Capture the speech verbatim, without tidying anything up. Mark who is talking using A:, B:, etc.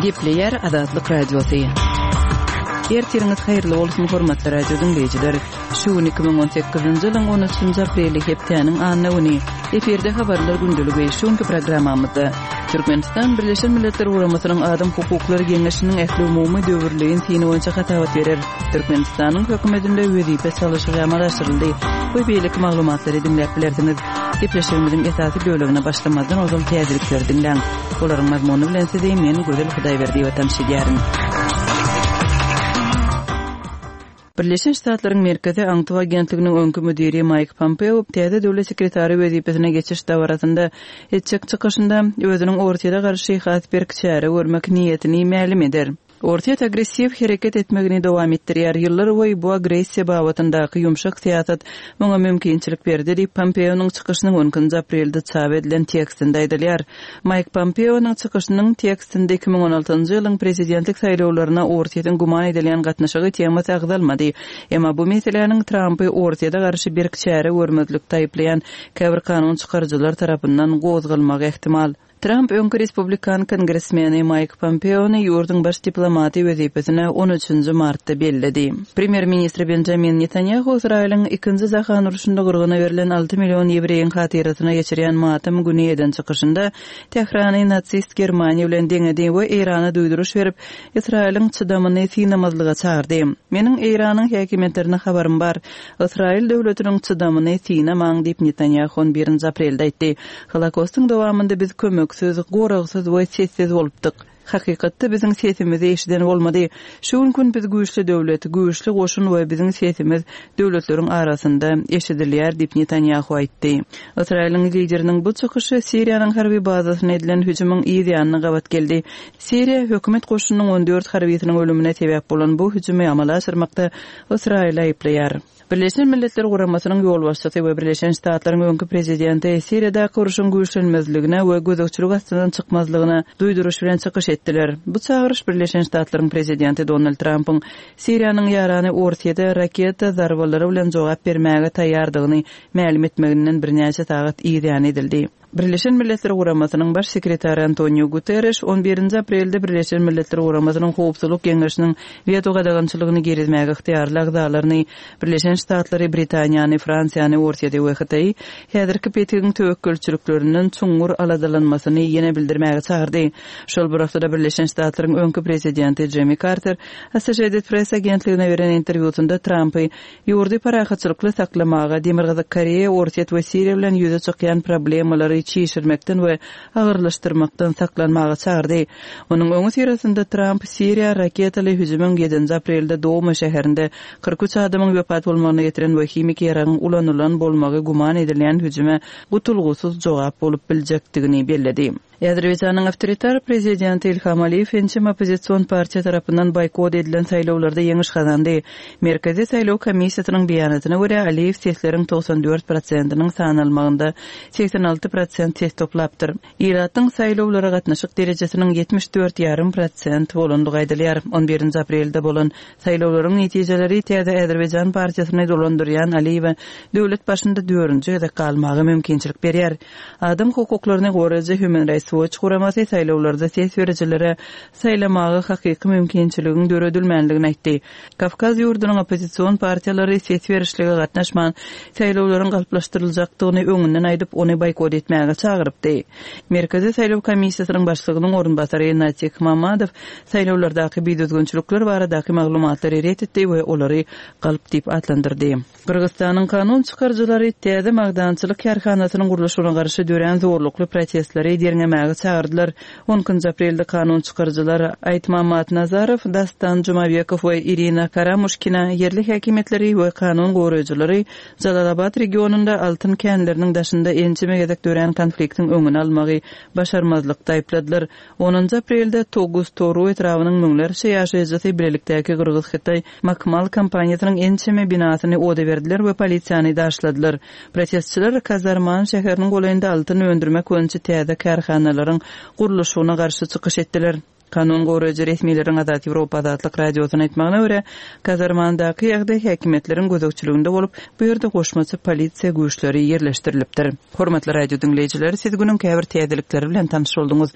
A: Gepleýär Azatlyk Radiosy. Ertiriňiz haýyrly bolsun, hormatly radio diňleýjiler. Şu gün iki müň on sekizinji ýylyň on üçünji apreli hepdäniň anna güni. Efirde habarlar gündeligi. Şu günki programmamyzda Türkmenistan Birleşen Milletler Guramasynyň Adam hukuklary geňeşiniň ählumumy döwürleýin syny boýunça hasabat berer. Türkmenistanyň hökümetinde wezipe çalyşygy amala aşyryldy we beýleki maglumatlary diňläp bilersiňiz. Gepleşigimiziň esasy bölegine başlamazdan ozal täzelikleri diňläň. Olaryň mazmuny bilen sizi men Gözel Hudaýberdiýewa tanyş edýärin. Birleşen Ştatlaryň Merkezi aňtaw agentliginiň öňki müdiri Maýk Pompeo täze döwlet sekretary wezipesine geçiş dabarasynda etjek çykyşynda özüniň Orsýete garşy has berk çäre görmek niýetini mälim eder. Orsýet agressiw hereket etmegini dowam etdirýär. Ýyllar boýy bu agressiýa babatyndaky ýumşak syýasat muňa mümkinçilik berdi diýip, Pompeonyň çykyşynyň on ikinji aprelde çap edilen tekstinde aýdylýar. Maýk Pompeonyň çykyşynyň tekstinde iki müň on altynjy ýylyň prezidentlik saýlawlaryna Orsýetiň güman edilýän gatnaşygy temasy agzalmady. Emma bu meseläniň Trampy Orsýete garşy berk çäre görmezlikde aýyplaýan käbir kanun çykaryjylar tarapyndan gozgalmagy ähtimal. Tramp öňki respublikan kongresmeni Maýk Pompeony ýurduň baş diplomaty wezipesine on üçünji martda belledi. Premýer-ministr Benjamin Netanýahu Ysraýylyň ikinji jahan urşunda gyrgyna berlen alty million ýewreýiň hatyrasyna geçirýän matam güni eden çykyşynda Tährany nasist Germaniýa bilen deňedi we Eýrana duýduryş berip, Ysraýylyň çydamyny synamazlyga çagyrdy. Meniň Eýranyň häkimiýetlerine habarym bar. Ysraýyl döwletiniň çydamyny synamaň diýip Netanýahu on birinji aprelde aýtdy. Holokostyň dowamynda biz kömeksiz, goragsyz we sessiz bolupdyk. Hakykatda biziň sesimizi eşiden bolmady. Şu gün gün biz güýçli döwlet, güýçli goşun we biziň sesimiz döwletleriň arasynda eşidilýär diýip Netanýahu aýtdy. Ysraýylyň lideriniň bu çykyşy Siriýanyň harby bazasyna edilen hüjümiň yz ýanyna gabat geldi. Siriýa hökümet goşunynyň on dört harbysynyň ölümine sebäp bolan bu hüjümi amala aşyrmakda Ysraýyly aýyplaýar. Birleşen Milletler Guramasynyň ýolbaşçysy we Birleşen Ştatlaryň öňki prezidenti Siriýadaky urşuň güýçlenmezligine we gözegçilik astyndan çykmazlygyna duýduryş bilen çykyş etdiler. Bu çagyryş Birleşen Ştatlaryň prezidenti Donald Trampyň Siriýanyň ýarany Orsýete raketa zarbalary bilen jogap bermäge taýýardygyny mälim etmeginden birnäçe sagat yz ýany edildi. Birleşen Milletler Guramasynyň baş sekretary Antonio Guterres on birinji aprelde Birleşen Milletler Guramasynyň Howpsuzlyk Geňeşiniň weto gadagançylygyny girizmäge ygtyýarly agzalaryny Birleşen Ştatlary, Britaniýany, Fransiýany, Orsýeti we Hytaýy häzirki petigiň töwekgelçiliklerinden çuňňur aladalanmasyny ýene bildirmäge çagyrdy. Şol bir wagtda Birleşen Ştatlaryň öňki prezidenti Jimmy Carter Associated Press agentligine beren interwýusynda Trumpy ýurdy parahatçylykly saklamaga, Demirgazyk Koreýa, Orsýet we Siriýa bilen ýüze çykýan problemalary çişirmekden we agyrlaşdyrmakdan saklanmaga çagyrdy. Onuň öňi syrasynda Trump Siriýa raketaly hüjümiň ýedinji aprelde Doma şäherinde kyrk üç adamyň wepat bolmagyna getiren we himiki ýaragyň ulanylan bolmagy güman edilýän hüjüme gutulgysyz jogap bolup biljekdigini belledi. Azerbaýjanyň awtoritar prezidenti Ilham Aliýew ençeme oppozision partiýa tarapyndan boýkot edilen saýlawlarda ýeňiş gazandy. Merkezi saýlaw komissiýasynyň beýanatyna görä Aliýew sesleriň togsan dört prosentiniň sanalmagynda seksen alty prosent ses toplapdyr. Ilatyň saýlawlara gatnaşyk derejesiniň ýetmiş dört ýarym prosent bolandygy aýdylýar. On birinji aprelde bolan saýlawlaryň netijeleri täze Azerbaýjan partiýasyny dolandyrýan Aliýewe döwlet başynda dördünji gezek galmaga mümkinçilik berýär. Adam hukuklaryny goraýjy Human Rights Watch guramasy saýlawlarda ses berijilere saýlamaga hakyky mümkinçiligiň döredilmänligini aýtdy. Kawkaz ýurdunyň oppozision partiýalary ses berişlige gatnaşman saýlawlaryň galplaşdyryljakdygyny öňünden aýdyp, ony boýkot etmäge çagyrypdy. Merkezi saýlaw komissiýasynyň başlygynyň orunbasary Natik Mamadow saýlawlardaky bidüzgünçilikler baradaky maglumatlary ret etdi we olary galp diýip atlandyrdy. Gyrgyzystanyň kanun çykaryjylary täze magdançylyk kärhanasynyň gurluşygyna garşy dörän zorlukly protestleri derňemäge çagyrdylar. On ikinji aprelde kanun çykaryjylar Aýtmamat Nazarow, Dastan Jumabekow we Irina Karamuşkina ýerli häkimiýetleri we kanun goraýjylary Jalalabad regionynda altyn känleriniň daşynda ençeme gezek dörän konfliktiň öňüni almagy başarmazlykda aýypladylar. Onunjy aprelde Toguz Toru etrabynyň müňlerçe ýaşaýjysy bilelikdäki Gyrgyz-Hytaý Makmal kompaniýasynyň ençeme binasyny oda berdiler we polisiýany daşladylar. Protestçiler Kazarman şäheriniň golaýynda altyn öndürmek boýunça täze kärhanalaryň gurluşygyna garşy çykyş etdiler. Kanun goraýjy resmileriň Azat Ýewropa Azatlyk Radiosyna aýtmagyna görä, Kazarmandaky ýagdaý häkimiýetleriň gözegçiliginde bolup, bu ýerde goşmaça polisiýa güýçleri ýerleşdirilipdir. Hormatly radio diňleýjiler, siz günüň käbir täzelikleri bilen tanyş bolduňyz.